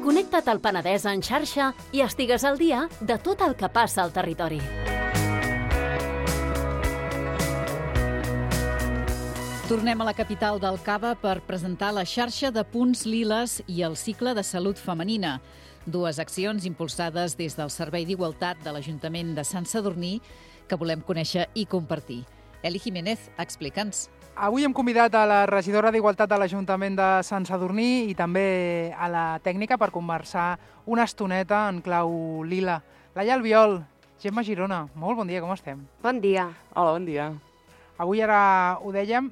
Connecta't al Penedès en xarxa i estigues al dia de tot el que passa al territori. Tornem a la capital del Cava per presentar la xarxa de punts liles i el cicle de salut femenina. Dues accions impulsades des del Servei d'Igualtat de l'Ajuntament de Sant Sadurní que volem conèixer i compartir. Eli Jiménez, explica'ns. Avui hem convidat a la regidora d'Igualtat de l'Ajuntament de Sant Sadurní i també a la tècnica per conversar una estoneta en clau lila. Laia Albiol, Gemma Girona, molt bon dia, com estem? Bon dia. Hola, bon dia. Avui, ara ho dèiem,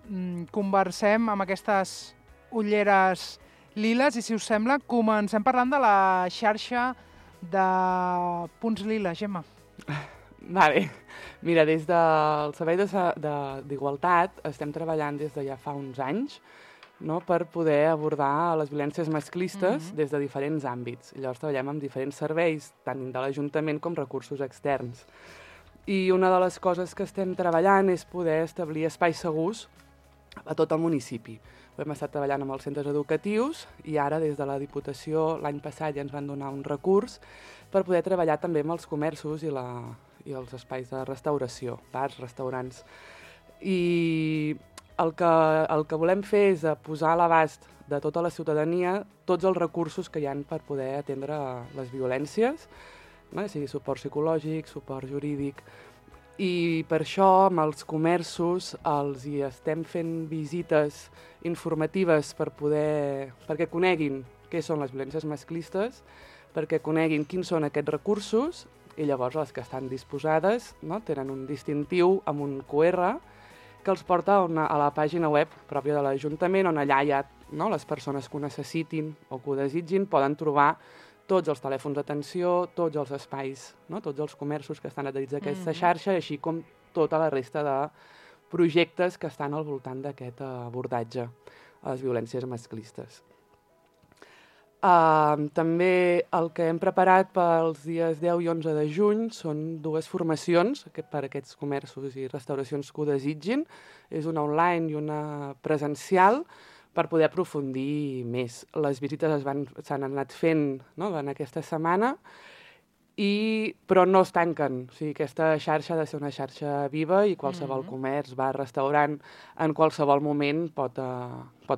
conversem amb aquestes ulleres liles i, si us sembla, comencem parlant de la xarxa de punts lila. Gemma. Vale. Mira, des del Servei d'Igualtat estem treballant des de ja fa uns anys, no?, per poder abordar les violències masclistes des de diferents àmbits. Llavors treballem amb diferents serveis, tant de l'Ajuntament com recursos externs. I una de les coses que estem treballant és poder establir espais segurs a tot el municipi. Ho hem estat treballant amb els centres educatius i ara des de la Diputació l'any passat ja ens van donar un recurs per poder treballar també amb els comerços i els espais de restauració, bars, restaurants. I el que volem fer és posar a l'abast de tota la ciutadania tots els recursos que hi ha per poder atendre les violències, no? Sigui suport psicològic, suport jurídic. I per això amb els comerços els hi estem fent visites informatives perquè coneguin què són les violències masclistes, perquè coneguin quins són aquests recursos i llavors les que estan disposades, no?, tenen un distintiu amb un QR que els porta a la pàgina web pròpia de l'Ajuntament, on allà hi ha, no?, les persones que ho necessitin o que ho desitgin poden trobar tots els telèfons d'atenció, tots els espais, no?, tots els comerços que estan adherits a aquesta xarxa, així com tota la resta de projectes que estan al voltant d'aquest abordatge a les violències masclistes. També el que hem preparat pels dies 10 i 11 de juny són dues formacions per a aquests comerços i restauracions que ho desitgin. És una online i una presencial per poder aprofundir més. Les visites s'han anat fent, no?, en aquesta setmana, però no es tanquen. O sigui, aquesta xarxa ha de ser una xarxa viva i qualsevol comerç, bar, restaurant, en qualsevol moment pot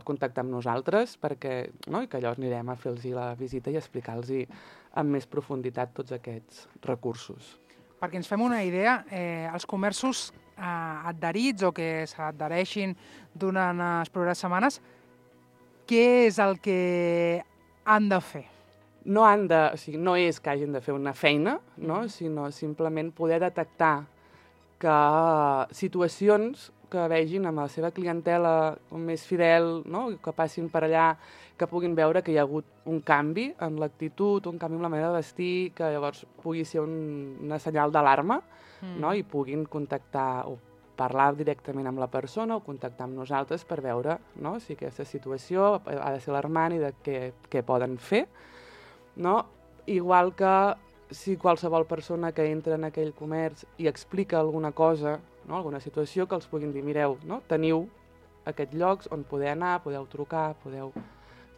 contactar amb nosaltres perquè, no?, i que llavors anirem a fer-los la visita i explicar-los amb més profunditat tots aquests recursos. Perquè ens fem una idea, els comerços adherits o que s'adhereixin durant les properes setmanes, què és el que han de fer? No és que hagin de fer una feina, no?, sinó simplement poder detectar que situacions que vegin amb la seva clientela més fidel, no?, que passin per allà, que puguin veure que hi ha hagut un canvi en l'actitud, un canvi en la manera de vestir, que llavors pugui ser una senyal d'alarma, no?, i puguin contactar o parlar directament amb la persona o contactar amb nosaltres per veure, no?, si aquesta situació ha de ser alarmant i de què poden fer. No? Igual que si qualsevol persona que entra en aquell comerç i explica alguna cosa, no?, alguna situació, que els puguin dir, mireu, no?, teniu aquests llocs on podeu anar, podeu trucar, podeu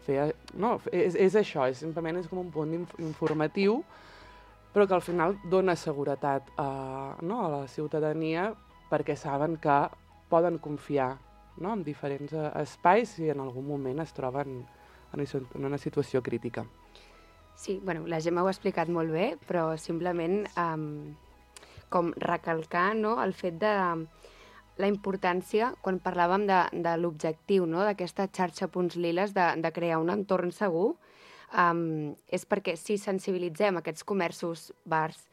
fer... No, és això, simplement és com un punt informatiu, però que al final dona seguretat a la ciutadania perquè saben que poden confiar, no?, en diferents espais si en algun moment es troben en una situació crítica. Sí, la Gemma ho ha explicat molt bé, però simplement com recalcar, no?, el fet de la importància, quan parlàvem de l'objectiu, no?, d'aquesta xarxa Punts Liles, de crear un entorn segur, és perquè si sensibilitzem aquests comerços, bars,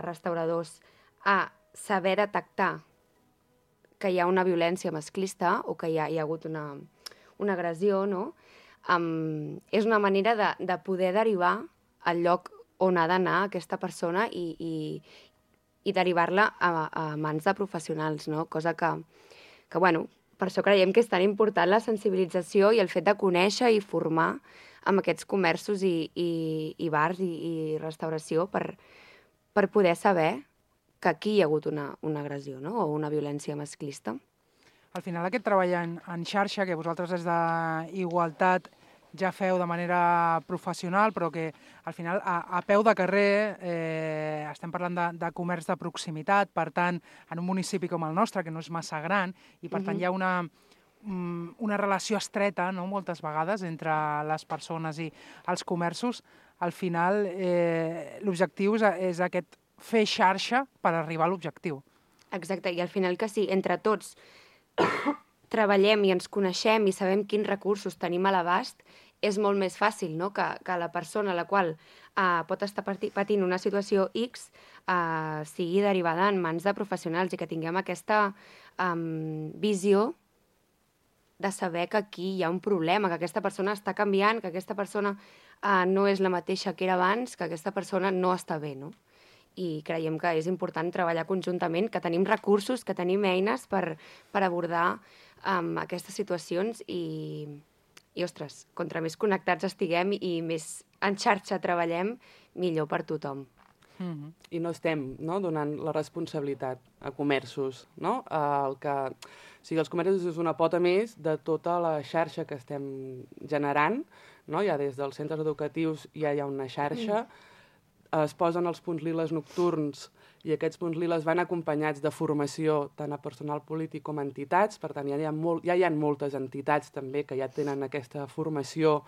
restauradors, a saber detectar que hi ha una violència masclista o que hi ha hagut una agressió, no?, és una manera de poder derivar al lloc on ha d'anar aquesta persona i derivar-la a mans de professionals, no? Cosa que, per això creiem que és tan important la sensibilització i el fet de conèixer i formar amb aquests comerços i bars i restauració per poder saber que aquí hi ha hagut una agressió, no?, o una violència masclista. Al final aquest treball en xarxa que vosaltres des d'Igualtat ja feu de manera professional, però que al final a peu de carrer estem parlant de comerç de proximitat, per tant, en un municipi com el nostre, que no és massa gran, i per tant hi ha una relació estreta, no?, moltes vegades, entre les persones i els comerços. Al final, l'objectiu és aquest fer xarxa per arribar a l'objectiu. Exacte, i al final que sí, entre tots treballem i ens coneixem i sabem quins recursos tenim a l'abast, és molt més fàcil, no?, que la persona a la qual pot estar patint una situació X sigui derivada en mans de professionals i que tinguem aquesta visió de saber que aquí hi ha un problema, que aquesta persona està canviant, que aquesta persona no és la mateixa que era abans, que aquesta persona no està bé, no? I creiem que és important treballar conjuntament, que tenim recursos, que tenim eines per abordar aquestes situacions i, ostres, contra més connectats estiguem i més en xarxa treballem, millor per tothom. I no estem donant la responsabilitat a comerços. No? Els comerços és una pota més de tota la xarxa que estem generant. No? Ja des dels centres educatius ja hi ha una xarxa. Es posen els punts liles nocturns i aquests punts liles van acompanyats de formació tant a personal polític com a entitats. Per tant, ja hi ha moltes entitats també que ja tenen aquesta formació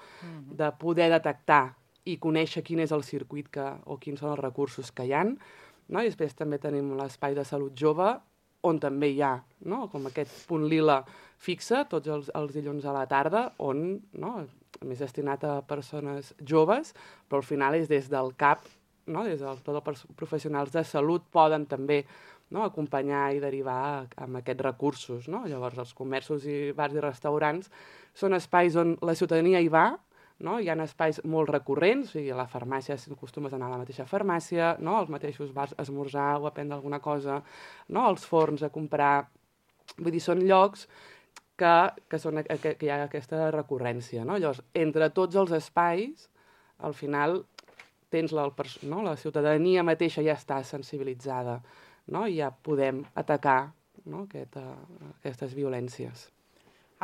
de poder detectar i conèixer quin és el circuit o quins són els recursos que hi ha. No? I després també tenim l'espai de salut jove, on també hi ha com aquest punt lila fixe, tots els dilluns a la tarda, on més destinat a persones joves, però al final és des del CAP, des de tots els professionals de salut poden també acompanyar i derivar amb aquests recursos. No? Llavors, els comerços i bars i restaurants són espais on la ciutadania hi va. No? Hi ha espais molt recurrents, o sigui, a la farmàcia acostumes a anar a la mateixa farmàcia, als mateixos bars a esmorzar o a prendre alguna cosa, als forns a comprar. Vull dir, són llocs que hi ha aquesta recurrència. No? Llavors, entre tots els espais, al final tens la ciutadania mateixa ja està sensibilitzada, i ja podem atacar aquestes violències.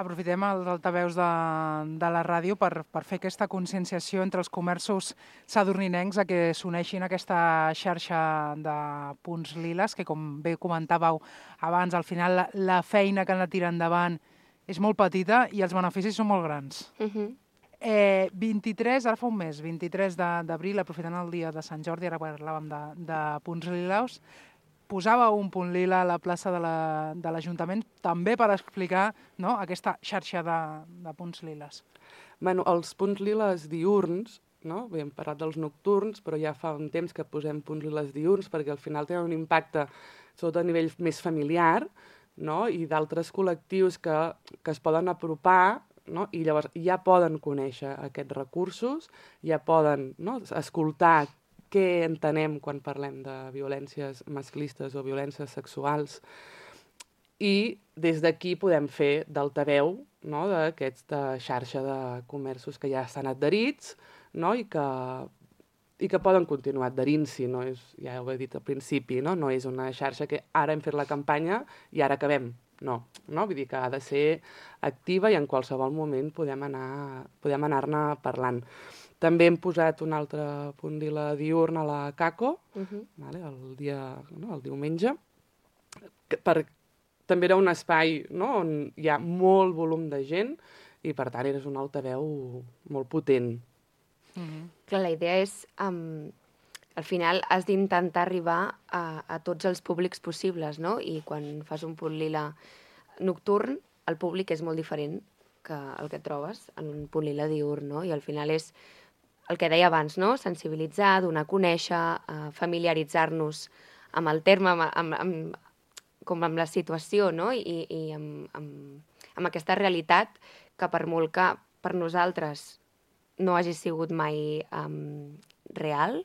Aprofitem els altaveus de la ràdio per fer aquesta conscienciació entre els comerços sadurninencs a que s'uneixin a aquesta xarxa de punts liles, que com bé comentàveu abans, al final la feina que han de tirar endavant és molt petita i els beneficis són molt grans. 23, ara fa un mes, 23 d'abril, aprofitant el dia de Sant Jordi, ara parlàvem de punts lilaus, posava un punt lila a la plaça de l'Ajuntament també per explicar aquesta xarxa de punts liles. Els punts liles diürns, hem parlat dels nocturns, però ja fa un temps que posem punts liles diürns perquè al final tenen un impacte sobretot a nivell més familiar i d'altres col·lectius que es poden apropar i llavors ja poden conèixer aquests recursos, ja poden escoltar què entenem quan parlem de violències masclistes o violències sexuals i des d'aquí podem fer d'altaveu d'aquesta xarxa de comerços que ja estan adherits i que poden continuar adherint-s'hi. Ja ho he dit al principi, no és una xarxa que ara hem fet la campanya i ara acabem. No, vull dir que ha de ser activa i en qualsevol moment podem anar-ne parlant. També hem posat un altre punt lila diürn a la CACO, el diumenge. També era un espai on hi ha molt volum de gent i, per tant, és un altaveu molt potent. Clar, la idea és, al final, has d'intentar arribar a tots els públics possibles, no? I quan fas un punt lila nocturn, el públic és molt diferent que el que trobes en un punt lila diürn, no? I al final és el que deia abans, no? Sensibilitzar, donar a conèixer, familiaritzar-nos amb el terme, com amb la situació, no? I amb aquesta realitat que per molt que per nosaltres no hagi sigut mai real,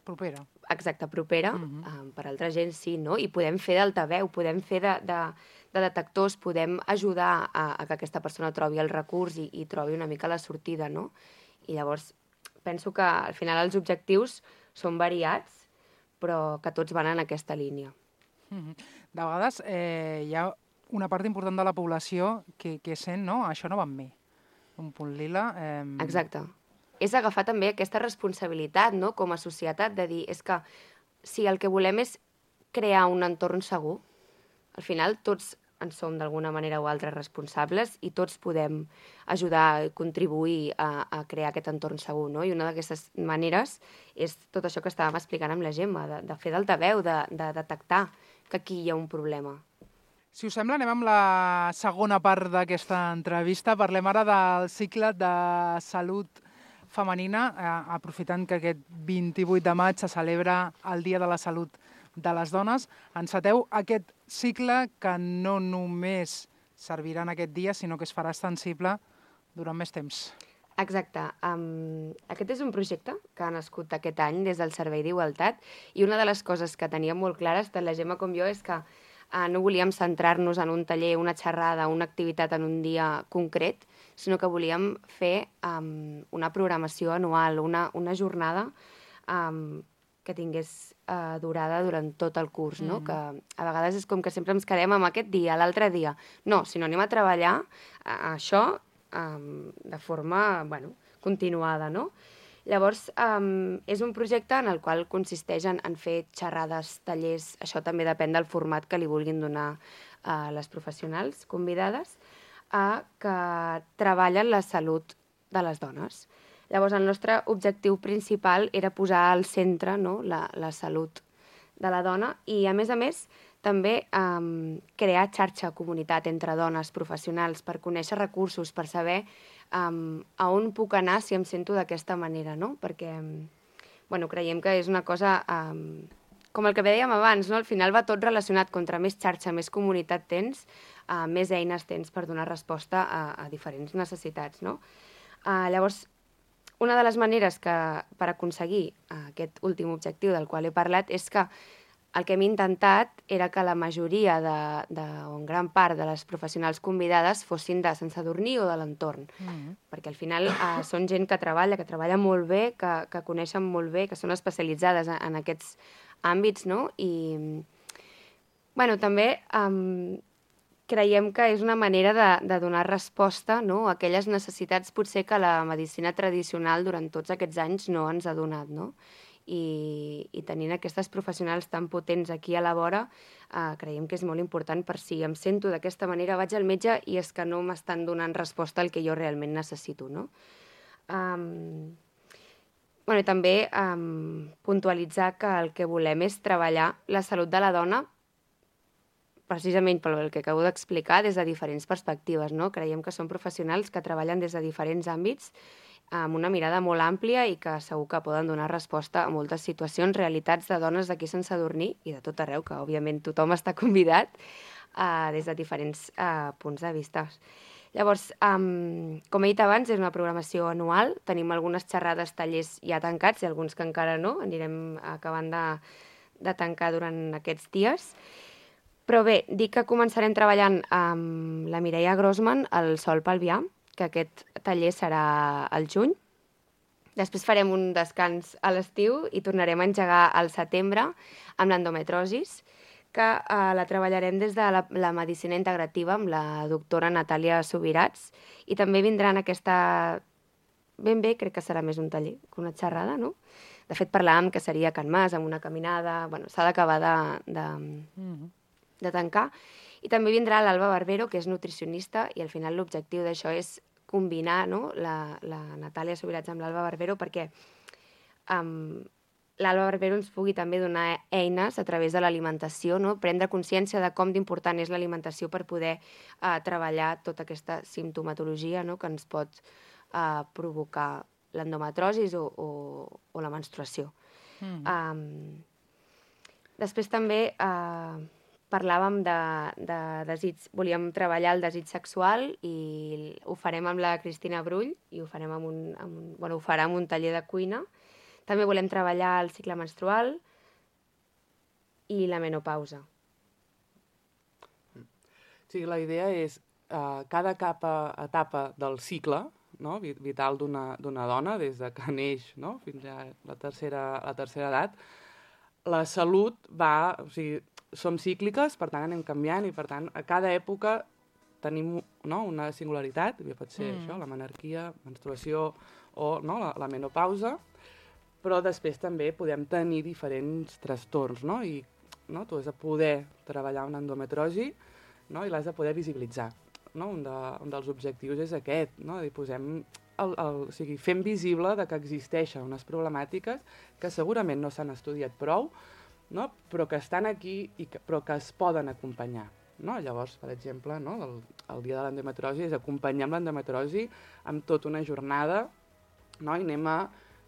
propera. Exacte, propera, per altra gent sí, no? I podem fer d'altaveu, podem fer de detectors, podem ajudar a que aquesta persona trobi el recurs i trobi una mica la sortida, no? I llavors penso que al final els objectius són variats, però que tots van en aquesta línia. De vegades hi ha una part important de la població que sent, no? Això no va amb mi. Un punt lila... Exacte. És agafar també aquesta responsabilitat, no?, com a societat, de dir, és que si el que volem és crear un entorn segur, al final tots en som d'alguna manera o altra responsables i tots podem ajudar i contribuir a crear aquest entorn segur, no? I una d'aquestes maneres és tot això que estàvem explicant amb la Gemma, de fer d'altaveu, de detectar que aquí hi ha un problema. Si us sembla, anem amb la segona part d'aquesta entrevista. Parlem ara del cicle de salut femenina, aprofitant que aquest 28 de maig se celebra el Dia de la Salut de les Dones. Enceteu aquest cicle que no només servirà en aquest dia, sinó que es farà extensible durant més temps. Exacte. Aquest és un projecte que ha nascut aquest any des del Servei d'Igualtat i una de les coses que teníem molt clares, tant la Gemma com jo, és que no volíem centrar-nos en un taller, una xerrada, una activitat en un dia concret, sinó que volíem fer una programació anual, una jornada que tingués durada durant tot el curs, no? Que a vegades és com que sempre ens quedem amb aquest dia, l'altre dia. No, sinó anem a treballar això de forma continuada, no? Llavors, és un projecte en el qual consisteix en fer xerrades, tallers, això també depèn del format que li vulguin donar a les professionals convidades, que treballen la salut de les dones. Llavors, el nostre objectiu principal era posar al centre, no?, la salut de la dona i, a més, també crear xarxa, comunitat entre dones professionals per conèixer recursos, per saber a on puc anar si em sento d'aquesta manera, no? Perquè creiem que és una cosa, com el que dèiem abans, no? Al final va tot relacionat. Contra més xarxa, més comunitat tens, més eines tens per donar resposta a diferents necessitats, no? Llavors, una de les maneres per aconseguir aquest últim objectiu del qual he parlat és que el que hem intentat era que la majoria o en gran part de les professionals convidades fossin de Sant Sadurní o de l'entorn, perquè al final són gent que treballa molt bé, que coneixen molt bé, que són especialitzades en aquests àmbits, no? I també creiem que és una manera de donar resposta, no?, a aquelles necessitats potser que la medicina tradicional durant tots aquests anys no ens ha donat, no? I tenint aquestes professionals tan potents aquí a la vora, creiem que és molt important per si em sento d'aquesta manera, vaig al metge i és que no m'estan donant resposta al que jo realment necessito, no? I també puntualitzar que el que volem és treballar la salut de la dona precisament pel que acabo d'explicar, des de diferents perspectives, no? Creiem que són professionals que treballen des de diferents àmbits amb una mirada molt àmplia i que segur que poden donar resposta a moltes situacions, realitats de dones d'aquí a Sant Sadurní i de tot arreu, que òbviament tothom està convidat des de diferents punts de vista. Llavors, com he dit abans, és una programació anual, tenim algunes xerrades, tallers ja tancats i alguns que encara no, anirem acabant de tancar durant aquests dies. Però bé, dic que començarem treballant amb la Mireia Grossman al Sol Pelvià, que aquest taller serà al juny. Després farem un descans a l'estiu i tornarem a engegar al setembre amb l'endometrosis, que la treballarem des de la medicina integrativa amb la doctora Natàlia Subirats i també vindran aquesta... Ben bé, crec que serà més un taller que una xerrada, no? De fet, parlàvem que seria a Can Mas, amb una caminada... S'ha d'acabar de tancar. I també vindrà l'Alba Barbero, que és nutricionista, i al final l'objectiu d'això és combinar, no?, la Natàlia Subirats amb l'Alba Barbero perquè l'Alba Barbero ens pugui també donar eines a través de l'alimentació, no?, prendre consciència de com d'important és l'alimentació per poder treballar tota aquesta simptomatologia, no?, que ens pot provocar l'endometrosis o la menstruació. Després també parlàvem de desig, volíem treballar el desig sexual i ho farem amb la Cristina Brull i ho farem ho farà amb un taller de cuina. També volem treballar el cicle menstrual i la menopausa. Sí, la idea és cada etapa del cicle, no?, vital d'una dona, des de que neix, no?, fins a la tercera edat, la salut va... O sigui, som cícliques, per tant anem canviant i per tant a cada època tenim una singularitat, que pot ser això, la menarquia, menstruació o la menopausa, però després també podem tenir diferents trastorns, no? I tu has de poder treballar una endometrosi, no? I l'has de poder visibilitzar. No? Un dels objectius és aquest, no? O sigui, fem visible que existeixen unes problemàtiques que segurament no s'han estudiat prou, no? Però que estan aquí però que es poden acompanyar. No? Llavors, per exemple, el dia de l'endometrosi és acompanyar amb l'endometrosi amb tota una jornada, no? I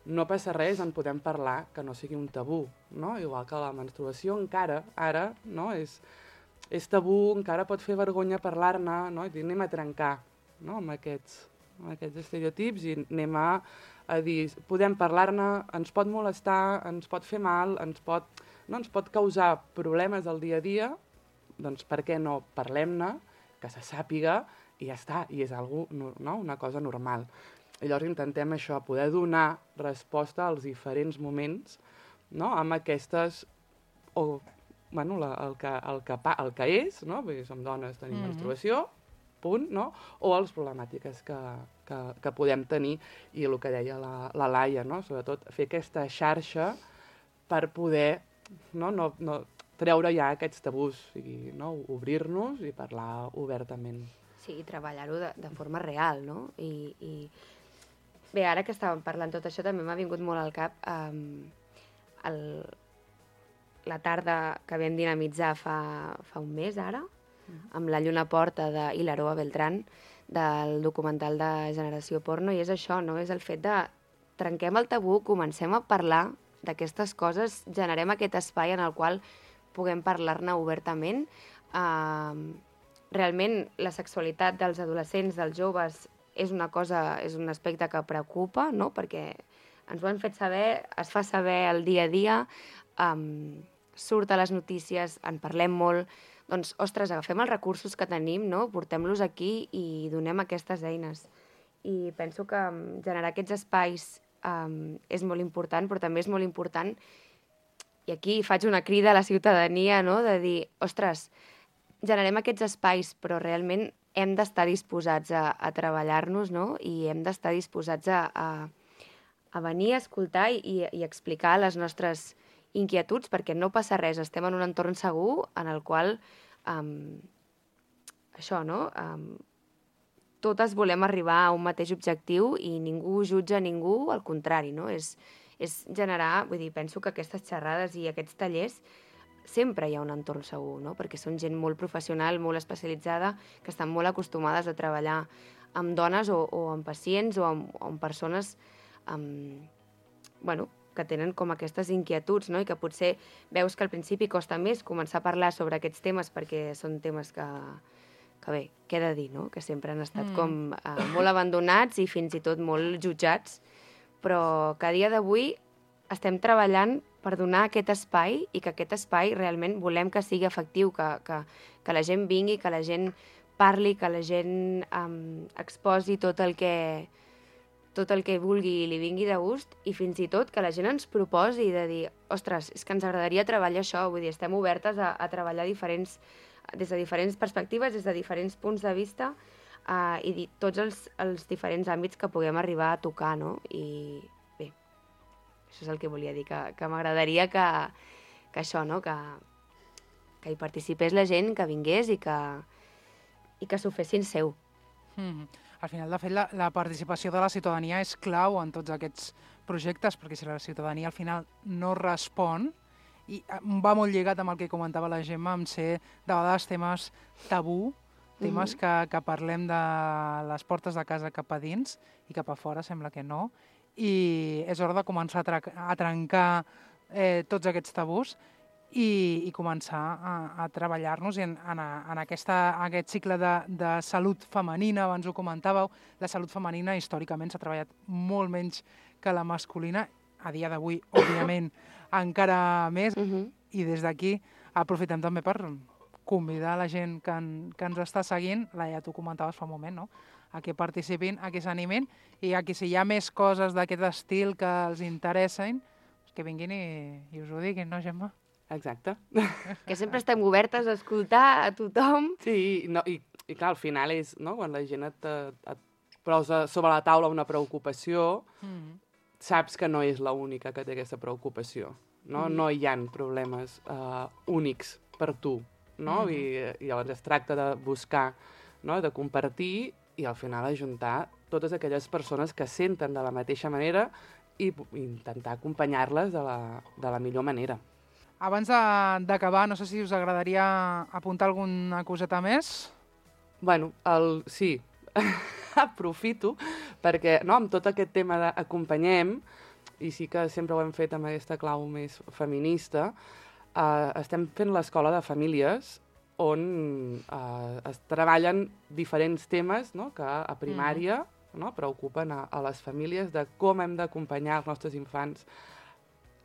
no passa res, en podem parlar, que no sigui un tabú, no? Igual que la menstruació encara, ara, no? És tabú, encara pot fer vergonya parlar-ne, no? I anem a trencar, no? amb aquests estereotips i anem a dir, podem parlar-ne, ens pot molestar, ens pot fer mal, ens pot causar problemes al dia a dia, doncs per què no parlem-ne, que se sàpiga i ja està, i és una cosa normal. I llavors intentem això, poder donar resposta als diferents moments, no? Amb aquestes, el que és, no? Perquè som dones, tenim menstruació, punt, no? O les problemàtiques que podem tenir, i el que deia la Laia, no? Sobretot fer aquesta xarxa per poder treure ja aquests tabús, o sigui, obrir-nos i parlar obertament. Sí, i treballar-ho de forma real, no? Bé, ara que estàvem parlant tot això, també m'ha vingut molt al cap la tarda que vam dinamitzar fa un mes, ara, amb la Lluna Porta d'Hilaroa Beltrán, del documental de Generació Porno, i és això, no? És el fet de trenquem el tabú, comencem a parlar d'aquestes coses, generem aquest espai en el qual puguem parlar-ne obertament. Realment, la sexualitat dels adolescents, dels joves, és un aspecte que preocupa, no? Perquè ens ho han fet saber, es fa saber el dia a dia, surt a les notícies, en parlem molt. Doncs, ostres, agafem els recursos que tenim, no? Portem-los aquí i donem aquestes eines. I penso que generar aquests espais és molt important, però també és molt important, i aquí faig una crida a la ciutadania, no? De dir, ostres, generem aquests espais, però realment hem d'estar disposats a treballar-nos, no? I hem d'estar disposats a venir a escoltar i explicar les nostres inquietuds, perquè no passa res, estem en un entorn segur en el qual això, no? Totes volem arribar a un mateix objectiu i ningú jutja ningú, al contrari, no? És generar, vull dir, penso que aquestes xerrades i aquests tallers sempre hi ha un entorn segur, no? Perquè són gent molt professional, molt especialitzada, que estan molt acostumades a treballar amb dones o amb pacients o amb persones que tenen com aquestes inquietuds, no? I que potser veus que al principi costa més començar a parlar sobre aquests temes perquè són temes que bé, què he de dir, no? Que sempre han estat com molt abandonats i fins i tot molt jutjats, però que a dia d'avui estem treballant per donar aquest espai i que aquest espai realment volem que sigui efectiu, que la gent vingui, que la gent parli, que la gent exposi tot el que vulgui i li vingui de gust, i fins i tot que la gent ens proposi de dir, ostres, és que ens agradaria treballar això, vull dir, estem obertes a treballar des de diferents perspectives, des de diferents punts de vista i tots els diferents àmbits que puguem arribar a tocar, no? I bé, això és el que volia dir, que m'agradaria que això, no? Que hi participés la gent, que vingués i que s'ho fessin seu. Al final, de fet, la participació de la ciutadania és clau en tots aquests projectes, perquè si la ciutadania al final no respon, i va molt lligat amb el que comentava la Gemma, amb ser de vegades temes tabú, temes que parlem de les portes de casa cap a dins i cap a fora sembla que no, i és hora de començar a trencar tots aquests tabús i començar a treballar-nos en aquest cicle de salut femenina. Abans ho comentàveu, la salut femenina històricament s'ha treballat molt menys que la masculina, a dia d'avui, òbviament, encara més, i des d'aquí aprofitem també per convidar la gent que ens està seguint, Laia, tu comentaves fa un moment, no? A que participin, a que s'animin, i a que si hi ha més coses d'aquest estil que els interessen, que vinguin i us ho diguin, no, Gemma? Exacte. Que sempre estem obertes a escoltar a tothom. Sí, i clar, al final és, no?, quan la gent et posa sobre la taula una preocupació, saps que no és l'única que té aquesta preocupació, no? No hi ha problemes únics per tu, no? I llavors es tracta de buscar, no?, de compartir i al final ajuntar totes aquelles persones que senten de la mateixa manera i intentar acompanyar-les de la millor manera. Abans d'acabar, no sé si us agradaria apuntar alguna coseta més? Bueno, sí, aprofito, perquè amb tot aquest tema d'acompanyem, i sí que sempre ho hem fet amb aquesta clau més feminista, estem fent l'escola de famílies on es treballen diferents temes, no?, que a primària preocupen a les famílies de com hem d'acompanyar els nostres infants,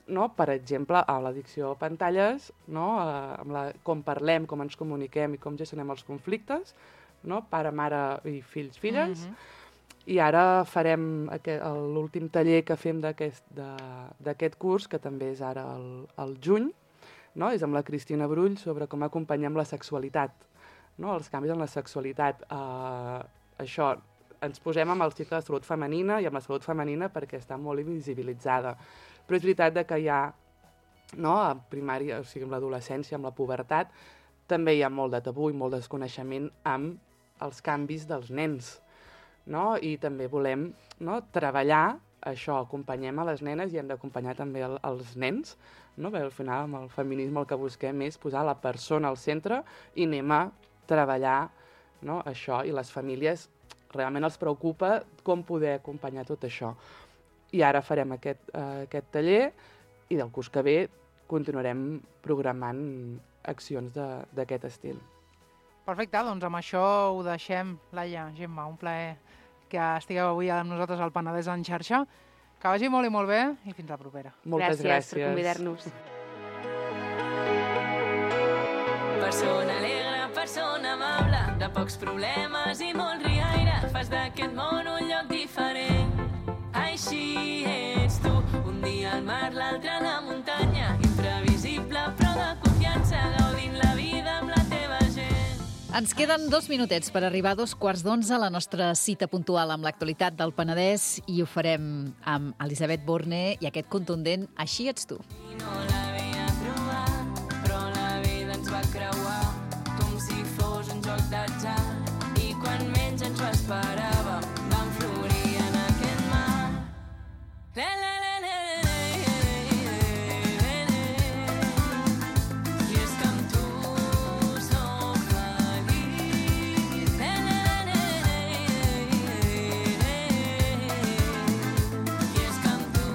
no? Per exemple, a l'addicció a pantalles, no? Com parlem, com ens comuniquem i com gestionem els conflictes, no? Pare, mare i fills, filles. I ara farem l'últim taller que fem d'aquest curs, que també és ara al juny, no? És amb la Cristina Brull sobre com acompanyem la sexualitat, no? Els canvis en la sexualitat. Això, ens posem amb el cicle de salut femenina i amb la salut femenina perquè està molt invisibilitzada. Però és veritat que hi ha, no?, a primària, o sigui, amb l'adolescència, amb la pubertat, també hi ha molt de tabú i molt desconeixement amb els canvis dels nens, no? I també volem, no?, treballar això, acompanyem a les nenes i hem d'acompanyar també els nens, no? Perquè al final amb el feminisme el que busquem és posar la persona al centre i anem a treballar, no?, això, i les famílies realment els preocupa com poder acompanyar tot això. I ara farem aquest taller i del curs que ve continuarem programant accions d'aquest estil. Perfecte, doncs amb això ho deixem. Laia, Gemma, un plaer que estigueu avui amb nosaltres al Penedès en xarxa. Que vagi molt i molt bé i fins la propera. Moltes gràcies per convidar-nos. Persona alegre, persona amable, de pocs problemes i molt riaire, fas d'aquest món un lloc diferent. Així ets tu, un dia al mar, l'altre a la muntanya, imprevisible però de confiança, gaudint la vida amb la teva gent. Ens queden 2 minutets per arribar a 2:15 a la nostra cita puntual amb l'actualitat del Penedès i ho farem amb Elisabet Borne i aquest contundent Així ets tu. I no l'havia trobat, però la vida ens va creuar com si fos un joc d'atzar i quan menys ens ho esperàvem vam florir en aquest mar. I és que amb tu soc feliç. I és que amb tu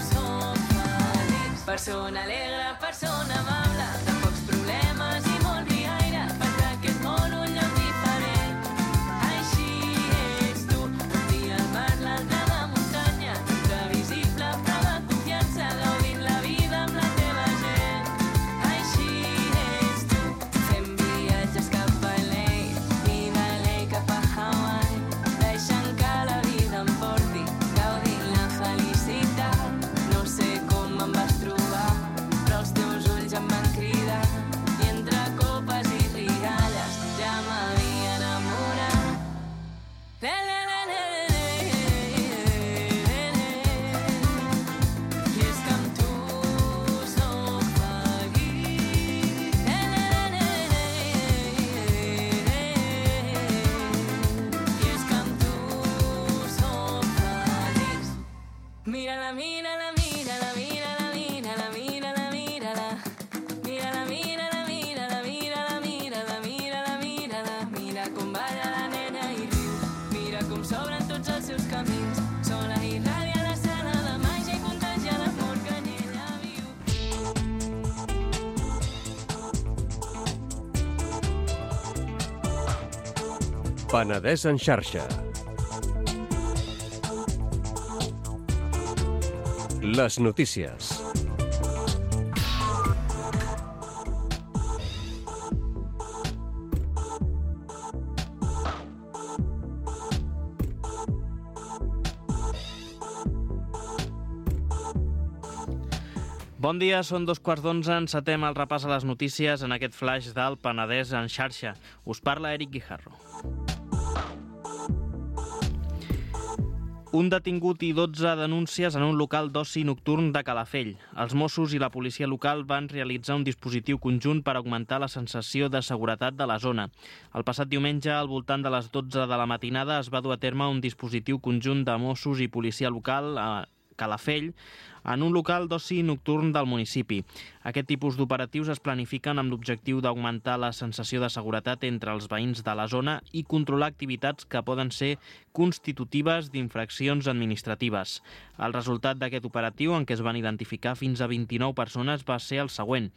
soc feliç. Persona alegre, persona amable, de pocs problemes i molt riaire, fas d'aquest món un lloc diferent. Així ets tu, un dia al mar, l'altre a la muntanya, imprevisible però de confiança, gaudint la vida amb la teva gent. Així ets tu, fem viatges cap a LA i de LA cap a Hawaii, deixant que la vida em porti, gaudint la felicitat. No sé com em vas trobar, però els teus ulls em van cridar i entre copes i rialles ja m'havia enamorat. I és que amb tu soc feliç. I és que amb tu soc feliç. Mira-la, mira-la, mira-la, mira-la, mira-la, mira-la, mira-la. Mira-la, mira-la, mira-la, mira-la, mira-la, mira-la, mira-la. Mira com balla la nena i riu, mira com s'obren tots els seus camins. Sola i ràdia l'escena de màgia i contagia l'amor que en ella viu. Penedès en xarxa. Les notícies. Bon dia, són 2:15, encetem el repàs a les notícies en aquest flash del Penedès en xarxa. Us parla Eric Guijarro. Un detingut i 12 denúncies en un local d'oci nocturn de Calafell. Els Mossos i la policia local van realitzar un dispositiu conjunt per augmentar la sensació de seguretat de la zona. El passat diumenge, al voltant de les 12 de la matinada, es va dur a terme un dispositiu conjunt de Mossos i policia local a Calafell, en un local d'oci nocturn del municipi. Aquest tipus d'operatius es planifiquen amb l'objectiu d'augmentar la sensació de seguretat entre els veïns de la zona i controlar activitats que poden ser constitutives d'infraccions administratives. El resultat d'aquest operatiu, en què es van identificar fins a 29 persones, va ser el següent.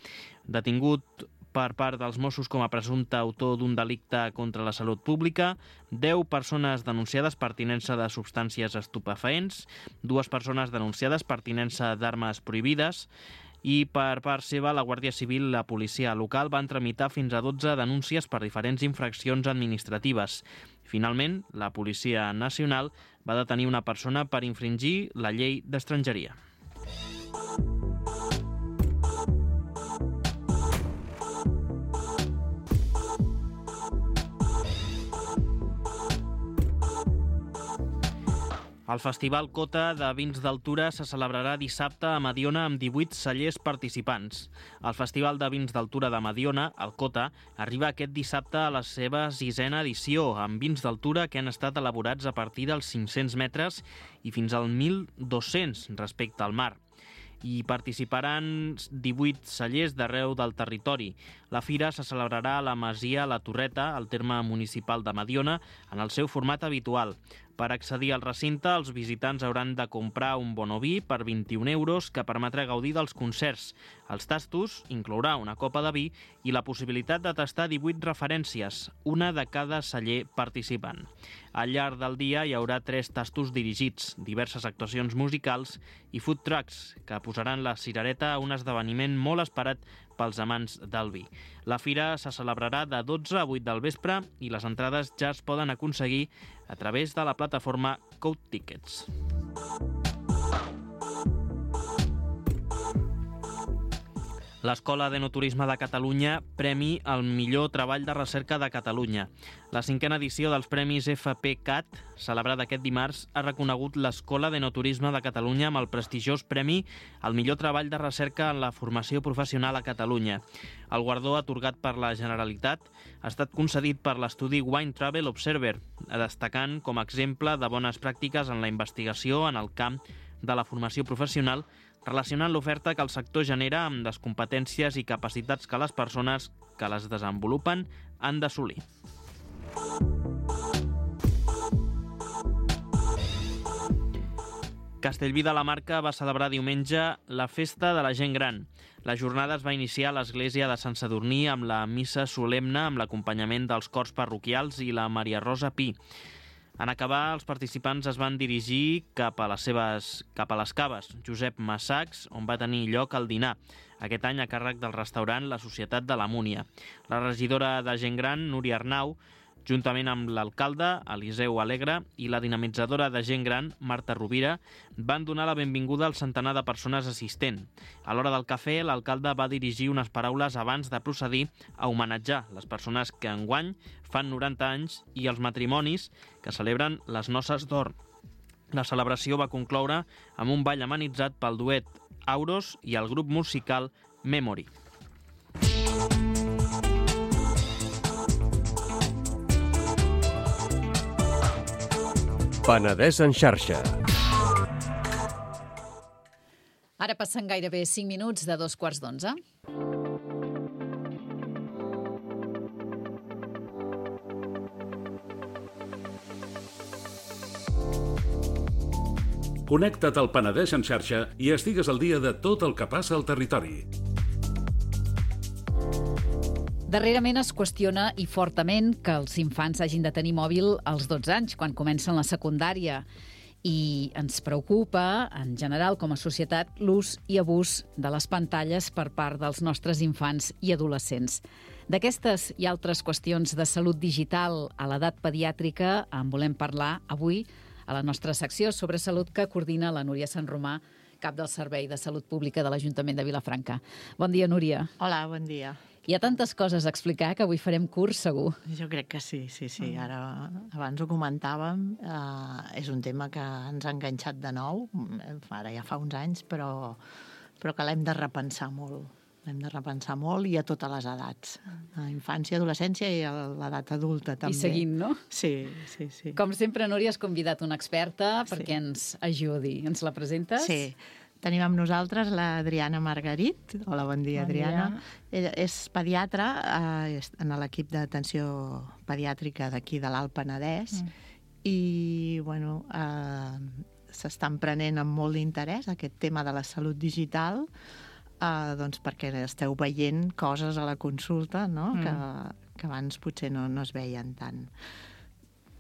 Detingut per part dels Mossos com a presumpte autor d'un delicte contra la salut pública, 10 persones denunciades per tinença de substàncies estupefaents, 2 persones denunciades per tinença d'armes prohibides i per part seva la Guàrdia Civil i la policia local van tramitar fins a 12 denúncies per diferents infraccions administratives. Finalment, la Policia Nacional va detenir una persona per infringir la llei d'estrangeria. El Festival Cota de Vins d'Altura se celebrarà dissabte a Mediona amb 18 cellers participants. El Festival de Vins d'Altura de Mediona, el Cota, arriba aquest dissabte a la seva 6ª edició, amb vins d'altura que han estat elaborats a partir dels 500 metres i fins al 1.200 respecte al mar. Hi participaran 18 cellers d'arreu del territori. La fira se celebrarà a la Masia La Torreta, al terme municipal de Mediona, en el seu format habitual. Per accedir al recinte, els visitants hauran de comprar un bonoví per 21 euros que permetrà gaudir dels concerts. Els tastos inclourà una copa de vi i la possibilitat de tastar 18 referències, una de cada celler participant. Al llarg del dia hi haurà 3 tastos dirigits, diverses actuacions musicals i food trucks, que posaran la cirereta a un esdeveniment molt esperat pels amants del vi. La fira se celebrarà de 12 a 8 del vespre i les entrades ja es poden aconseguir a través de la plataforma Code Tickets. L'Escola d'Enoturisme de Catalunya premi el millor treball de recerca de Catalunya. La 5ª edició dels Premis FPCAT, celebrada aquest dimarts, ha reconegut l'Escola d'Enoturisme de Catalunya amb el prestigiós premi al millor treball de recerca en la formació professional a Catalunya. El guardó, atorgat per la Generalitat, ha estat concedit per l'estudi Wine Travel Observer, destacant com a exemple de bones pràctiques en la investigació en el camp de la formació professional, relacionant l'oferta que el sector genera amb les competències i capacitats que les persones que les desenvolupen han d'assolir. Castellví de la Marca va celebrar diumenge la Festa de la Gent Gran. La jornada es va iniciar a l'església de Sant Sadurní amb la missa solemne amb l'acompanyament dels cors parroquials i la Maria Rosa Pi. En acabar, els participants es van dirigir cap a les caves Josep Massacs, on va tenir lloc el dinar, aquest any a càrrec del restaurant La Societat de la Múnia. La regidora de Gent Gran, Núria Arnau, juntament amb l'alcalde, Eliseu Alegre, i la dinamitzadora de Gent Gran, Marta Rovira, van donar la benvinguda al centenar de persones assistent. A l'hora del cafè, l'alcalde va dirigir unes paraules abans de procedir a homenatjar les persones que enguany fan 90 anys i els matrimonis que celebren les noces d'or. La celebració va concloure amb un ball amenitzat pel duet Auros i el grup musical Memory. Penedès en xarxa. Ara passen gairebé 5 minuts de 2:15. Connecta't al Penedès en xarxa i estigues al dia de tot el que passa al territori. Darrerament es qüestiona i fortament que els infants hagin de tenir mòbil als 12 anys, quan comencen la secundària. I ens preocupa, en general, com a societat, l'ús i abús de les pantalles per part dels nostres infants i adolescents. D'aquestes i altres qüestions de salut digital a l'edat pediàtrica en volem parlar avui a la nostra secció sobre salut que coordina la Núria Sant Romà, cap del Servei de Salut Pública de l'Ajuntament de Vilafranca. Bon dia, Núria. Hola, bon dia. Hi ha tantes coses a explicar que avui farem curs, segur. Jo crec que sí. Ara, abans ho comentàvem, és un tema que ens ha enganxat de nou, ara ja fa uns anys, però que l'hem de repensar molt. L'hem de repensar molt i a totes les edats. A infància, adolescència i a l'edat adulta, també. I seguint, no? Sí. Com sempre, Núria, has convidat una experta perquè ens ajudi. Ens la presentes? Sí. Tenim amb nosaltres l'Adriana Margarit. Hola, bon dia, Adriana. Ella és pediatra en l'equip d'atenció pediàtrica d'aquí de l'Alt Penedès i, bueno, s'estan prenent amb molt d'interès aquest tema de la salut digital, doncs perquè esteu veient coses a la consulta, no? Que abans potser no es veien tant.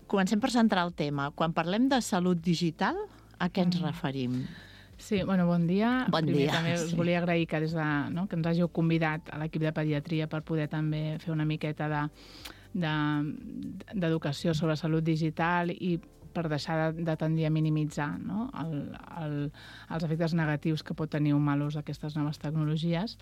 Comencem per centrar el tema. Quan parlem de salut digital, a què ens referim? Sí, bon dia. Bon Primer dia. també us volia agrair que que ens hàgiu convidat a l'equip de pediatria per poder també fer una miqueta d'educació sobre salut digital i per deixar de tendir a minimitzar, no? Els efectes negatius que pot tenir un mal ús d'aquestes noves tecnologies.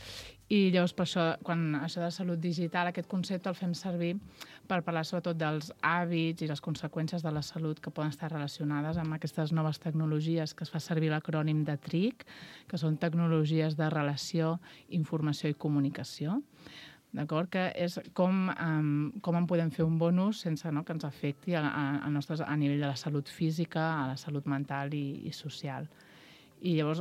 I llavors, per això, quan això de salut digital, aquest concepte el fem servir per parlar sobretot dels hàbits i les conseqüències de la salut que poden estar relacionades amb aquestes noves tecnologies, que es fa servir l'acrònim de TRIC, que són tecnologies de relació, informació i comunicació. D'acord? Que és com en podem fer un bon ús sense que ens afecti a nivell de la salut física, a la salut mental i social. I llavors,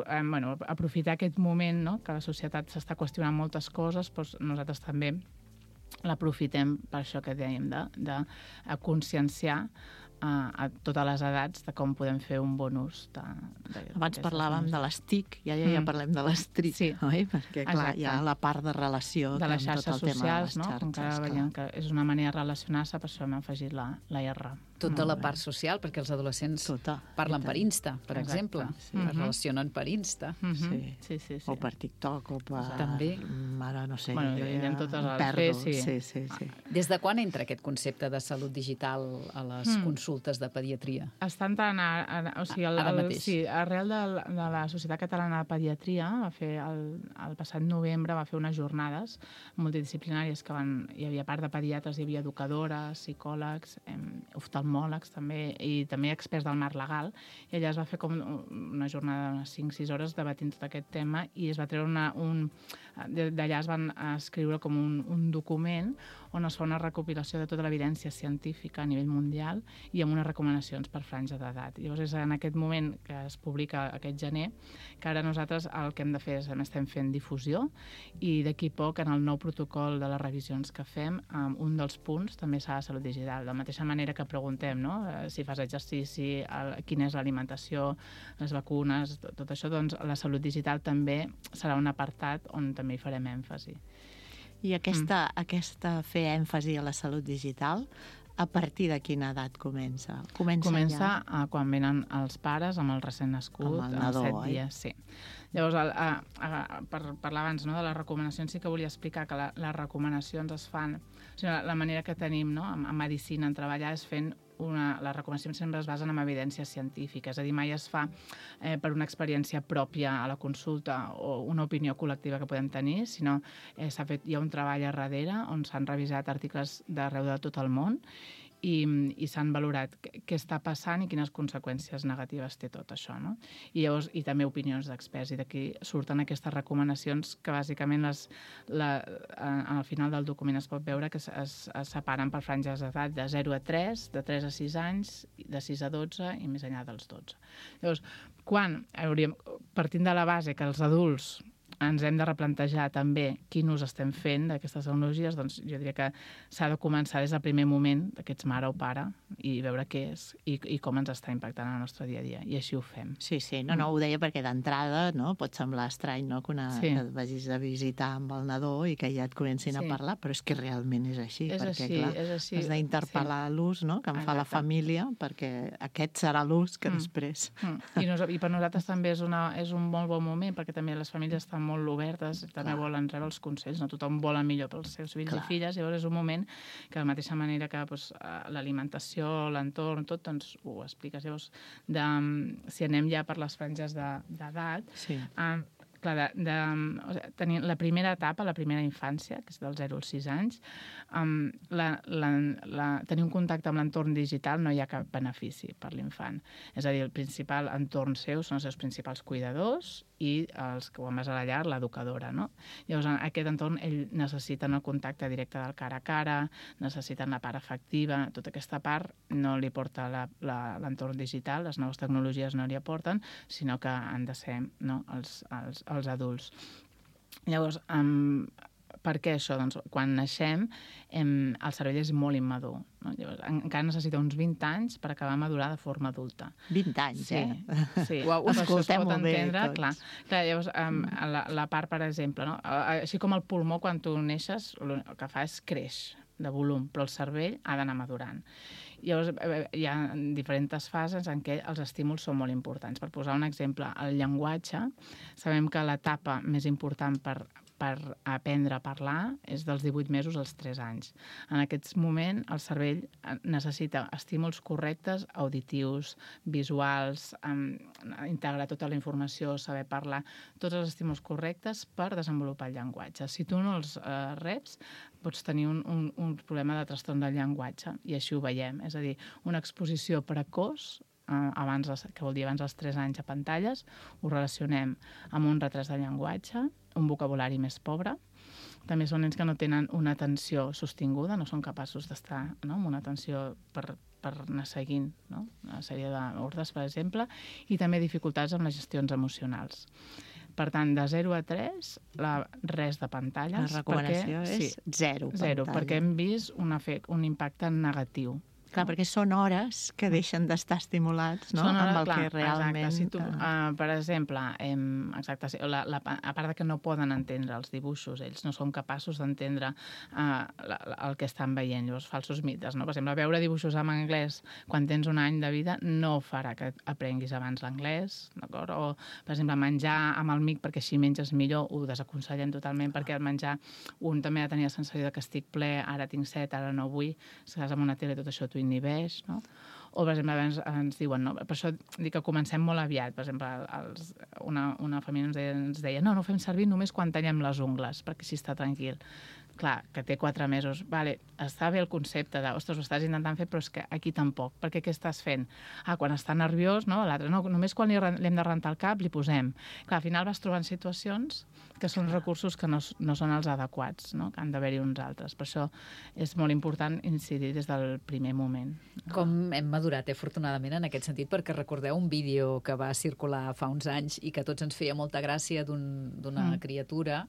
aprofitar aquest moment, que la societat s'està qüestionant moltes coses, doncs nosaltres també l'aprofitem per això que dèiem, de conscienciar a totes les edats de com podem fer un bon ús. Abans parlàvem de les TIC, ja parlem de les TRIC, oi? Perquè, clar, hi ha la part de relació de les xarxes socials, no? Com que ara veiem que és una manera de relacionar-se, per això hem afegit la R. Tota la part social, perquè els adolescents parlen per Insta, per exemple. Es relacionen per Insta. Sí. O per TikTok, o per... També. Ara no sé. Hi ha totes les... Sí. Des de quan entra aquest concepte de salut digital a les consultes de pediatria? Està entrant ara mateix. Sí, arrel de la Societat Catalana de Pediatria, el passat novembre va fer unes jornades multidisciplinàries que hi havia part de pediatres, hi havia educadores, psicòlegs, oftalmòlegs també, i també experts del marc legal, i allà es va fer com una jornada d'unes 5-6 hores debatint tot aquest tema i es va treure d'allà es van escriure com un document on es fa una recopilació de tota l'evidència científica a nivell mundial i amb unes recomanacions per franja d'edat. Llavors és en aquest moment que es publica aquest gener que ara nosaltres el que hem de fer és estem fent difusió i d'aquí poc en el nou protocol de les revisions que fem un dels punts també serà salut digital. De la mateixa manera que preguntem, no? Si fas exercici, quina és l'alimentació, les vacunes, tot això, doncs la salut digital també serà un apartat on també hi farem èmfasi. I aquesta fer èmfasi a la salut digital, a partir de quina edat comença? Comença quan venen els pares amb el recent nascut, amb el nadó, 7 dies, sí. Llavors, per parlar abans de les recomanacions, sí que volia explicar que les recomanacions es fan... O sigui, la manera que tenim en medicina en treballar és fent les recomanacions sempre es basen en evidència científica, és a dir, mai es fa per una experiència pròpia a la consulta o una opinió col·lectiva que podem tenir, sinó hi ha un treball a darrere on s'han revisat articles d'arreu de tot el món i s'han valorat què està passant i quines conseqüències negatives té tot això, no? I llavors, i també opinions d'experts, i d'aquí surten aquestes recomanacions que bàsicament al final del document es pot veure que es separen per franges d'edat de 0 a 3, de 3 a 6 anys, de 6 a 12 i més enllà dels 12. Llavors, partint de la base que els adults ens hem de replantejar també quin ús estem fent d'aquestes tecnologies, doncs jo diria que s'ha de començar des del primer moment que ets mare o pare i veure què és i com ens està impactant en el nostre dia a dia, i així ho fem. Sí, no, ho deia perquè d'entrada pot semblar estrany que et vagis a visitar amb el nadó i que ja et comencin a parlar, però és que realment és així, perquè clar, has d'interpel·lar l'ús que en fa la família, perquè aquest serà l'ús que després... I per nosaltres també és un molt bon moment, perquè també les famílies estan molt obertes, també volen rebre els consells, no? Tothom vol el millor pels seus fills i filles, llavors és un moment que de la mateixa manera que l'alimentació, l'entorn, tot, doncs ho expliques. Llavors, si anem ja per les franges d'edat, clar, tenir la primera etapa, la primera infància, que és del 0 als 6 anys, tenir un contacte amb l'entorn digital no hi ha cap benefici per l'infant. És a dir, el principal entorn seu són els seus principals cuidadors i els que quan vas a la llar, l'educadora, no? Llavors, en aquest entorn, ell necessiten el contacte directe del cara a cara, necessiten la part afectiva, tota aquesta part no li porta l'entorn digital, les noves tecnologies no li aporten, sinó que han de ser els adults. Llavors, per què això? Doncs quan naixem, el cervell és molt immadur. No? Llavors, encara necessita uns 20 anys per acabar de madurar de forma adulta. 20 anys, Sí. Ho escoltem molt bé, tots. Clar, llavors, la part, per exemple, no? Així com el pulmó, quan tu neixes, el que fa és creix de volum, però el cervell ha d'anar madurant. Llavors, hi ha diferents fases en què els estímuls són molt importants. Per posar un exemple, el llenguatge, sabem que l'etapa més important per aprendre a parlar és dels 18 mesos als 3 anys. En aquest moment, el cervell necessita estímuls correctes, auditius, visuals, integrar tota la informació, saber parlar, tots els estímuls correctes per desenvolupar el llenguatge. Si tu no els reps, pots tenir un problema de trastorn del llenguatge, i així ho veiem. És a dir, una exposició precoç, que vol dir abans dels 3 anys a pantalles, ho relacionem amb un retras de llenguatge, un vocabulari més pobre. També són nens que no tenen una atenció sostinguda, no són capaços d'estar amb una atenció per anar seguint una sèrie d'ordres, per exemple, i també dificultats amb les gestions emocionals. Per tant, de 0 a 3, res de pantalles. La recomanació és 0 pantalles. 0, perquè hem vist un impacte negatiu. Clar, perquè són hores que deixen d'estar estimulats, no? Amb el que realment... Exacte. Si tu, per exemple, a part de que no poden entendre els dibuixos, ells no són capaços d'entendre el que estan veient, llavors falsos mites, no? Per exemple, veure dibuixos en anglès quan tens un any de vida no farà que aprenguis abans l'anglès, d'acord? O, per exemple, menjar amb el mic perquè així menges millor, ho desaconsellem totalment, perquè el menjar un també ha de tenir la sensació de que estic ple, ara tinc set, ara no vull, si estàs amb una tele tot això t'ho inhibeix, no? O, per exemple, ens diuen, no? Per això dic que comencem molt aviat. Per exemple, una família ens deia no ho fem servir només quan tallem les ungles, perquè així està tranquil. Clar, que té 4 mesos. Vale, està bé el concepte de, ostres, ho estàs intentant fer, però és que aquí tampoc. Perquè què estàs fent? Quan està nerviós, no? L'altre, no, només quan li hem de rentar el cap li posem. Clar, al final vas trobant situacions que són recursos que no són els adequats, no? Que han d'haver-hi uns altres. Per això és molt important incidir des del primer moment. Com hem madurat, afortunadament, en aquest sentit, perquè recordeu un vídeo que va circular fa uns anys i que a tots ens feia molta gràcia d'una criatura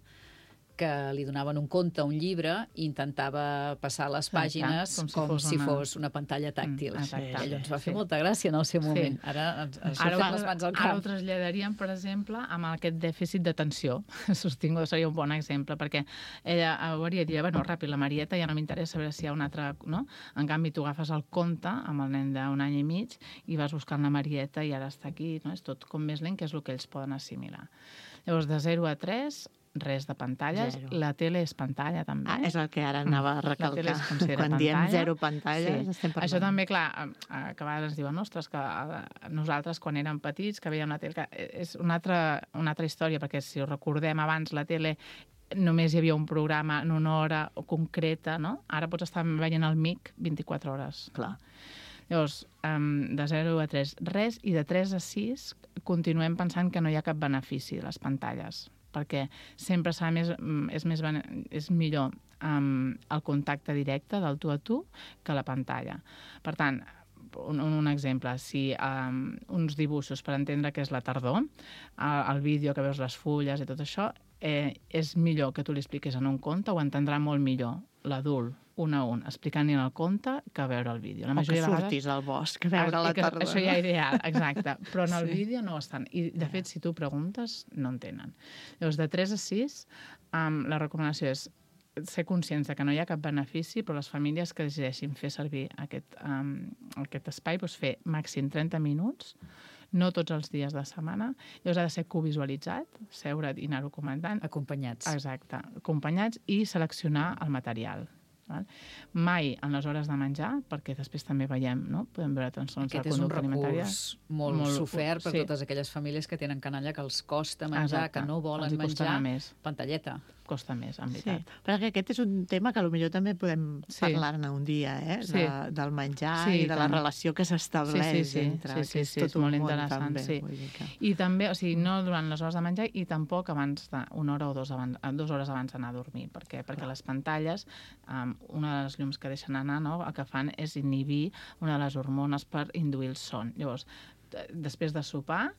que li donaven un conte, un llibre, i intentava passar les pàgines com si fos una pantalla tàctil. Allò ens va fer molta gràcia en el seu moment. Ara ens ha fet les mans al cap. Ara ho traslladaríem, per exemple, amb aquest dèficit d'atenció sostinguda, seria un bon exemple, perquè ella hauria dit, bueno, ràpid, la Marieta ja no m'interessa veure si hi ha un altre, no? En canvi, tu agafes el conte amb el nen d'un any i mig i vas buscant la Marieta i ara està aquí, no? És tot com més lent, que és el que ells poden assimilar. Llavors, de 0 a 3... res de pantalles. La tele és pantalla, també. És el que ara anava a recalcar. Quan diem 0 pantalles, estem parlant. Això també, clar, que a vegades ens diuen, ostres, que nosaltres, quan érem petits, que veiem la tele... És una altra història, perquè si ho recordem abans, la tele només hi havia un programa en una hora concreta, no? Ara pots estar veient el MIC 24 hores. Clar. Llavors, de 0 a 3, res, i de 3 a 6 continuem pensant que no hi ha cap benefici de les pantalles, perquè sempre és millor el contacte directe del tu a tu que la pantalla. Per tant, un exemple, si uns dibuixos per entendre què és la tardor, el vídeo que veus les fulles i tot això, és millor que tu li expliquis en un conte, ho entendrà molt millor l'adult, un a un, explicant-li en el conte que veure el vídeo. O que sortis al bosc a veure la tardor. Això ja és ideal, exacte. Però en el vídeo no estan. I, de fet, si tu preguntes, no en tenen. Llavors, de 3 a 6, la recomanació és ser conscients que no hi ha cap benefici, però les famílies que decideixin fer servir aquest espai, doncs fer màxim 30 minuts no tots els dies de setmana. Llavors ha de ser covisualitzat, seure't i anar-ho comentant. Acompanyats. Exacte, acompanyats i seleccionar el material. Mai en les hores de menjar, perquè després també veiem, no? Podem veure trastorns de conducta alimentària. Aquest és un recurs molt sofert per totes aquelles famílies que tenen canalla, que els costa menjar, que no volen menjar, pantalleta. Costa més, en veritat. Sí, perquè aquest és un tema que potser també podem parlar-ne un dia, del menjar i de la relació que s'estableix entre aquests, tot un món també. I també, o sigui, no durant les hores de menjar i tampoc abans d'una hora o 2 hores abans d'anar a dormir. Per què? Perquè les pantalles, una de les llums que deixen anar, el que fan és inhibir una de les hormones per induir el son. Llavors, després de sopar,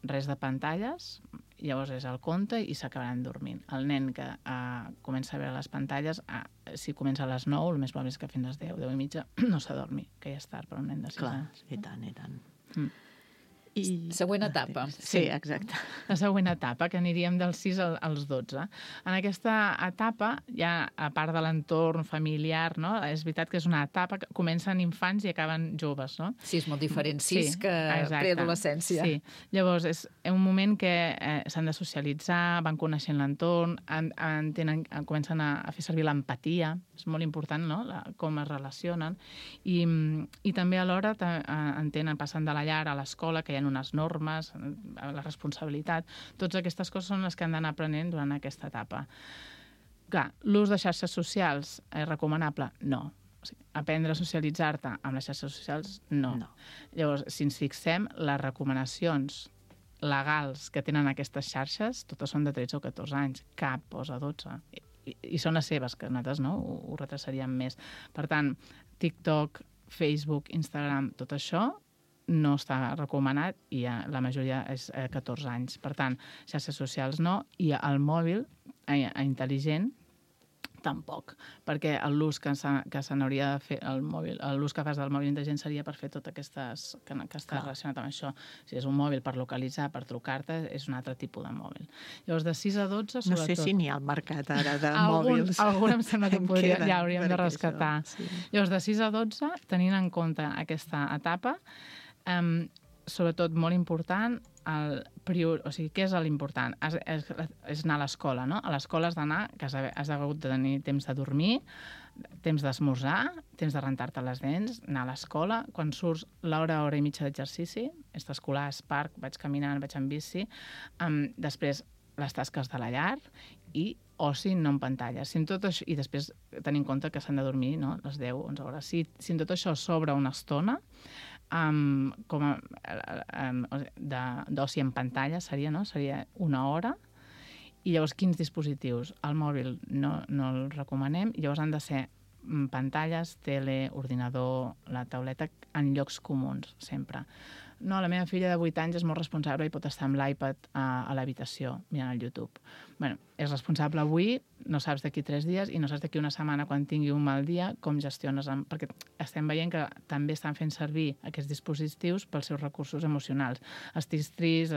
res de pantalles, llavors és el conte i s'acabaran dormint. El nen que comença a veure les pantalles, si comença a les 9, el més probable és que fins a les 10, 10 i mitja, no s'adormi, que ja és tard per un nen de 6 anys. Clar, i tant. Següent etapa. Sí, exacte. La següent etapa, que aniríem dels 6 als 12. En aquesta etapa, ja a part de l'entorn familiar, no? És veritat que és una etapa que comencen infants i acaben joves, no? Sí, és molt diferent, 6 que preadolescència. Sí, llavors és un moment que s'han de socialitzar, van coneixent l'entorn, comencen a fer servir l'empatia, és molt important, no? Com es relacionen, i també alhora entenen, passant de la llar a l'escola, que hi ha unes normes, la responsabilitat. Totes aquestes coses són les que han d'anar aprenent durant aquesta etapa. Clar, l'ús de xarxes socials és recomanable? No. O sigui, aprendre a socialitzar-te amb les xarxes socials? No. Llavors, si ens fixem, les recomanacions legals que tenen aquestes xarxes, totes són de 13 o 14 anys. Cap posa 12. I són les seves, que nosaltres no ho retrasaríem més. Per tant, TikTok, Facebook, Instagram, tot això no està recomanat i la majoria és 14 anys. Per tant, xarxes socials no, i el mòbil intel·ligent tampoc, perquè l'ús que se n'hauria de fer l'ús que fas del mòbil intel·ligent seria per fer tot aquestes que està relacionat amb això. Si és un mòbil per localitzar, per trucar-te, és un altre tipus de mòbil. Llavors, de 6 a 12, sobretot... No sé si n'hi ha al mercat ara de mòbils. Algun em sembla que ja hauríem de rescatar. Llavors, de 6 a 12, tenint en compte aquesta etapa, sobretot molt important, o sigui, què és l'important? És anar a l'escola, no? A l'escola has d'anar, que has hagut de tenir temps de dormir, temps d'esmorzar, temps de rentar-te les dents, anar a l'escola, quan surts hora i mitja d'exercici, extraescolar, parc, vaig caminant, vaig en bici, després les tasques de la llar i oci no en pantalles. I després tenir en compte que s'han de dormir les 10-11 hores. Si en tot això s'obre una estona, d'oci en pantalla seria una hora, i llavors quins dispositius? El mòbil no el recomanem, i llavors han de ser pantalles, tele, ordinador, la tauleta en llocs comuns, sempre. No, la meva filla de 8 anys és molt responsable i pot estar amb l'iPad a l'habitació mirant el YouTube. Bé, és responsable avui, no saps d'aquí 3 dies i no saps d'aquí una setmana quan tingui un mal dia com gestiones, perquè estem veient que també estan fent servir aquests dispositius pels seus recursos emocionals. Estic trist,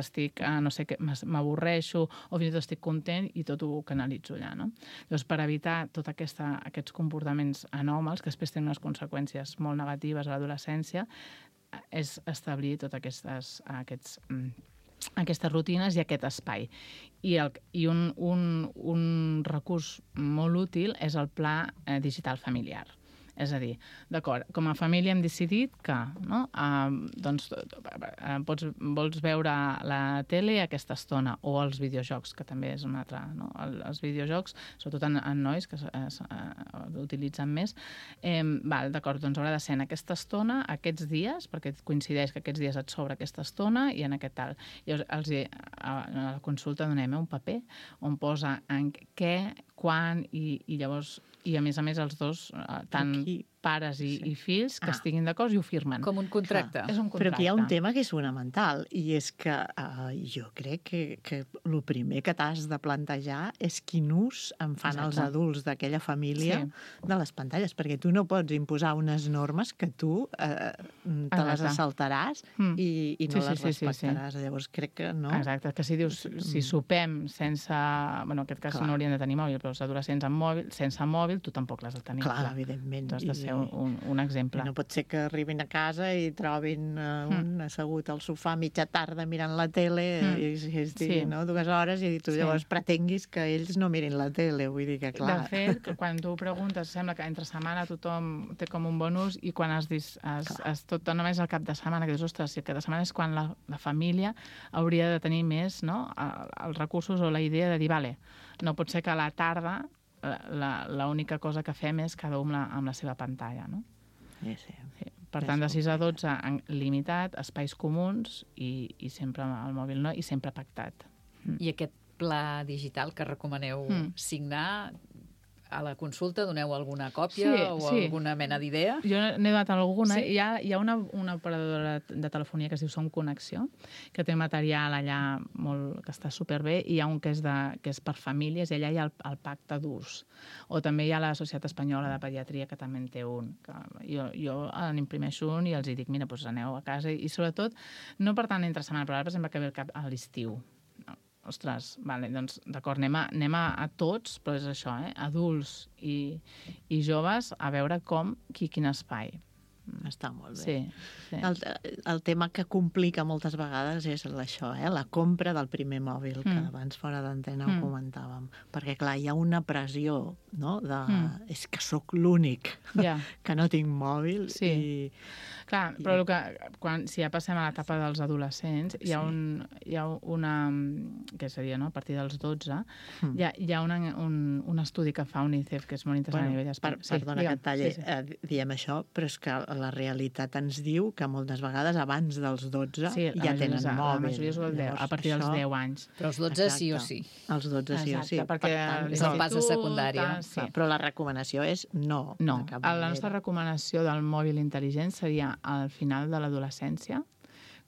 no sé què, m'avorreixo o fins i tot estic content i tot ho canalitzo allà, no? Doncs per evitar tots aquests comportaments anòmals que després tenen unes conseqüències molt negatives a l'adolescència, és establir totes aquestes rutines i aquest espai. I un recurs molt útil és el pla digital familiar. És a dir, d'acord, com a família hem decidit que vols veure la tele a aquesta estona, o els videojocs, que també és un altre, els videojocs, sobretot en nois que l'utilitzen més, d'acord, doncs haurà de ser en aquesta estona, aquests dies, perquè coincideix que aquests dies et sobra aquesta estona i en aquest tal. Llavors, a la consulta donem un paper on posa en què, quan, i llavors, i a més els dos, tant pares i fills, que estiguin d'acord i ho firmen. Com un contracte. És un contracte. Però que hi ha un tema que és fonamental, i és que jo crec que el primer que t'has de plantejar és quin ús en fan els adults d'aquella família de les pantalles, perquè tu no pots imposar unes normes que tu te les assaltaràs i no les respectaràs. Llavors crec que no. Exacte, que si dius, si sopem sense... Bueno, en aquest cas no haurien de tenir mòbil, però els adolescents sense mòbil, tu tampoc l'has de tenir. Clar, evidentment. Tu has de ser ser un exemple. No pot ser que arribin a casa i trobin un assegut al sofà mitja tarda mirant la tele i es diguin 2 hores i tu llavors pretenguis que ells no mirin la tele, vull dir que clar. De fet, quan tu preguntes, sembla que entre setmana tothom té com un bonus i quan tot només el cap de setmana, que dius, ostres, si el cap de setmana és quan la família hauria de tenir més els recursos o la idea de dir, vale, no pot ser que a la tarda l'única cosa que fem és cada un amb la seva pantalla, no? Sí. Per tant, de 6 a 12 limitat, espais comuns i sempre al mòbil, no? I sempre pactat. I aquest pla digital que recomaneu signar, a la consulta doneu alguna còpia alguna mena d'idea? Jo n'he donat alguna. Hi ha una operadora de telefonia que es diu Som Connexió, que té material allà que està superbé, i hi ha un que és per famílies, i allà hi ha el pacte d'ús. O també hi ha la Societat Espanyola de Pediatria, que també en té un. Jo n'imprimeixo un i els dic, mira, doncs aneu a casa. I sobretot, no per tant entre setmana, però ara, per exemple, que ve a l'estiu. Ostres, vale, doncs d'acord, anem a tots, però és això, adults i joves, a veure quin espai. Està molt bé. Sí. El tema que complica moltes vegades és això, la compra del primer mòbil, que abans fora d'antena ho comentàvem. Perquè, clar, hi ha una pressió, no?, és que sóc l'únic que no tinc mòbil. Sí. Clar, però si ja passem a l'etapa dels adolescents, hi ha una, que seria a partir dels 12, hi ha un estudi que fa UNICEF que és molt interessant a nivell d'espai. Perdona que et talli, diem això, però és que la realitat ens diu que moltes vegades abans dels 12 ja tenen mòbil. La majoria és a partir dels 10 anys. Però els 12 sí o sí. Els 12 sí o sí. Perquè és el pas de secundària. Però la recomanació és no. No, la nostra recomanació del mòbil intel·ligent seria al final de l'adolescència,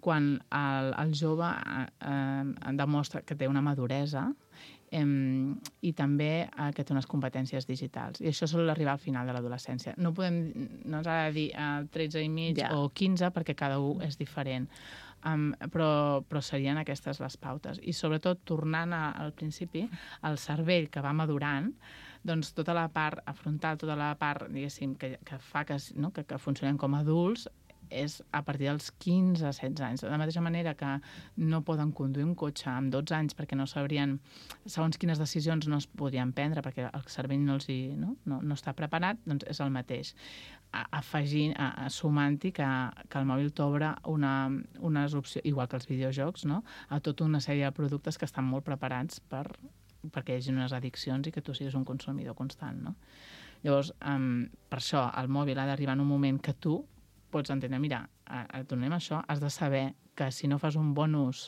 quan el jove demostra que té una maduresa i també que té unes competències digitals. I això sol arribar al final de l'adolescència. No ens ha de dir 13 i mig o 15, perquè cada un és diferent. Però serien aquestes les pautes. I sobretot, tornant al principi, el cervell que va madurant, doncs tota la part frontal, tota la part, diguéssim, que fa que funcionem com a adults, és a partir dels 15 a 16 anys. De la mateixa manera que no poden conduir un cotxe amb 12 anys perquè no sabrien, segons quines decisions no es podrien prendre perquè el cervell no està preparat, doncs és el mateix. Sumant-hi que el mòbil t'obre unes opcions, igual que els videojocs, a tota una sèrie de productes que estan molt preparats perquè hi hagi unes addiccions i que tu siguis un consumidor constant. Llavors, per això, el mòbil ha d'arribar en un moment que tu pots entendre, mira, et donem això, has de saber que si no fas un bon ús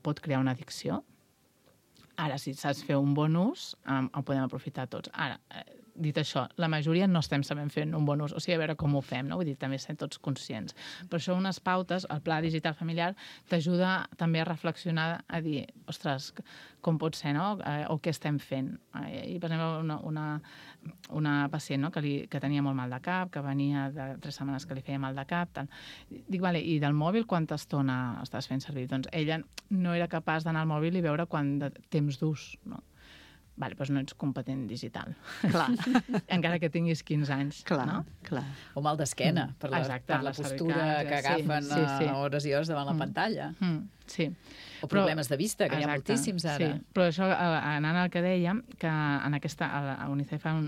pot crear una addicció. Ara, si saps fer un bon ús, ho podem aprofitar tots. Ara, dit això, la majoria no estem sabent fer un bon ús, o sigui, a veure com ho fem, no? Vull dir, també estem tots conscients. Per això unes pautes, el pla digital familiar, t'ajuda també a reflexionar, a dir, ostres, com pot ser, no? O què estem fent? I, per exemple, una pacient que tenia molt mal de cap, que venia de 3 setmanes que li feia mal de cap, tal. Dic, vale, i del mòbil quanta estona estàs fent servir? Doncs ella no era capaç d'anar al mòbil i veure quant de temps d'ús, no? Vale, doncs no ets competent digital. Clar. Encara que tinguis 15 anys. Clar. O mal d'esquena, per la postura que agafen hores i hores davant la pantalla. Sí. O problemes de vista, que hi ha moltíssims ara. Sí, però això, anant al que dèiem, que en aquesta, a UNICEF fa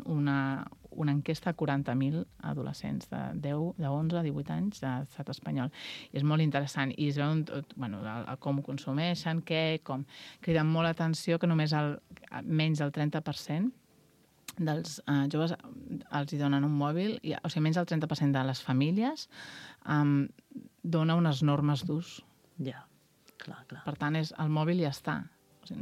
una enquesta a 40.000 adolescents de 11 a 18 anys de l'estat espanyol. I és molt interessant. I es veuen com ho consumeixen, com criden molt l'atenció que només menys del 30% dels joves els hi donen un mòbil, o sigui, menys del 30% de les famílies dona unes normes d'ús. Ja, clar. Per tant, el mòbil ja està.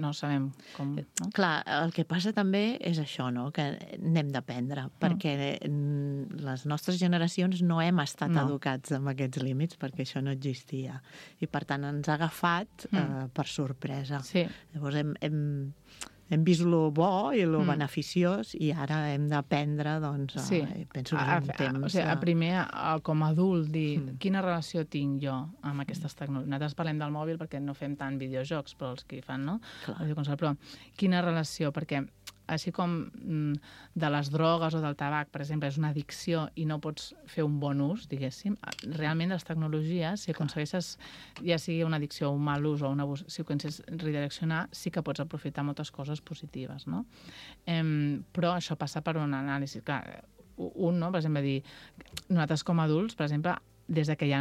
No sabem com... No? Clar, el que passa també és això, no?, que n'hem d'aprendre, perquè les nostres generacions no hem estat educats amb aquests límits, perquè això no existia. I, per tant, ens ha agafat per sorpresa. Sí. Llavors hem vist lo bo i lo beneficiós i ara hem d'aprendre, doncs, penso que és un temps... O sigui, primer, com a adult, dir quina relació tinc jo amb aquestes tecnologies. Nosaltres parlem del mòbil perquè no fem tant videojocs, però els que hi fan, no? Però quina relació, perquè així com de les drogues o del tabac, per exemple, és una addicció i no pots fer un bon ús, diguéssim, realment les tecnologies, si aconsegueixes, ja sigui una addicció o un mal ús o un abús, si ho aconsegueixes redireccionar, sí que pots aprofitar moltes coses positives, no? Però això passa per un anàlisi. Clar, no? Per exemple, dir, nosaltres com a adults, per exemple, des que hi ha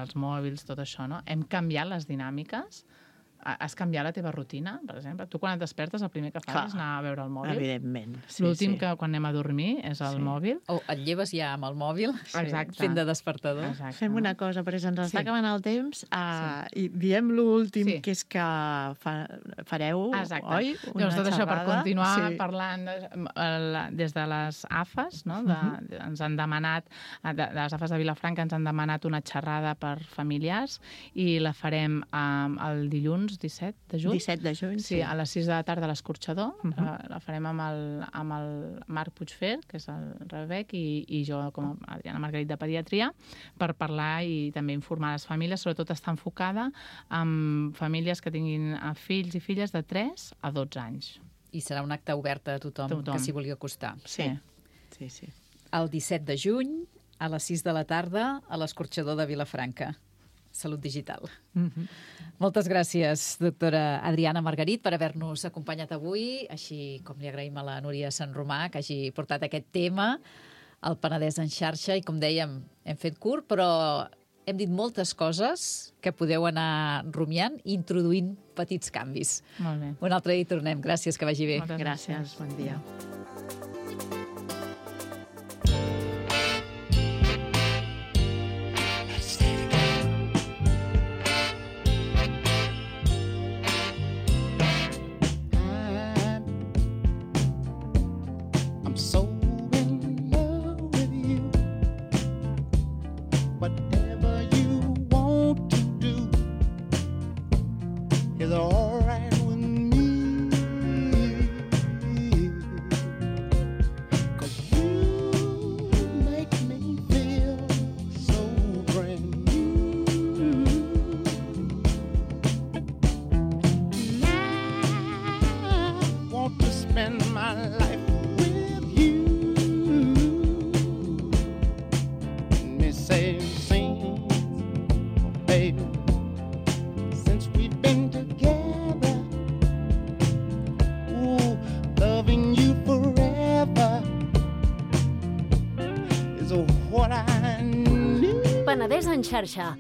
els mòbils, tot això, no? Hem canviat les dinàmiques. Has canviat la teva rutina, per exemple? Tu quan et despertes el primer que fas és anar a veure el mòbil? Evidentment. L'últim que quan anem a dormir és el mòbil? O et lleves ja amb el mòbil, fent de despertador. Exacte. Fem una cosa, perquè se'ns està acabant el temps i diem l'últim, que és que fareu, oi? Llavors, tot això per continuar parlant des de les AFAs, no? Ens han demanat, de les AFAs de Vilafranca ens han demanat una xerrada per familiars i la farem el dilluns 17 de juny. 17 de juny, sí. A les 6 de la tarda a l'Escorxador. La farem amb el Marc Puigfer, que és el Rebec, i jo com a Adriana Margarit de Pediatria, per parlar i també informar les famílies. Sobretot està enfocada en famílies que tinguin fills i filles de 3 a 12 anys. I serà un acte obert a tothom que s'hi vulgui acostar. Sí. El 17 de juny, a les 6 de la tarda, a l'Escorxador de Vilafranca. Salut Digital. Moltes gràcies, doctora Adriana Margarit, per haver-nos acompanyat avui, així com li agraïm a la Núria Sant Romà que hagi portat aquest tema al Penedès en xarxa i, com dèiem, hem fet curt, però hem dit moltes coses que podeu anar rumiant i introduint petits canvis. Molt bé. Un altre dia hi tornem. Gràcies, que vagi bé. Moltes gràcies. Bon dia. Penedès en xarxa,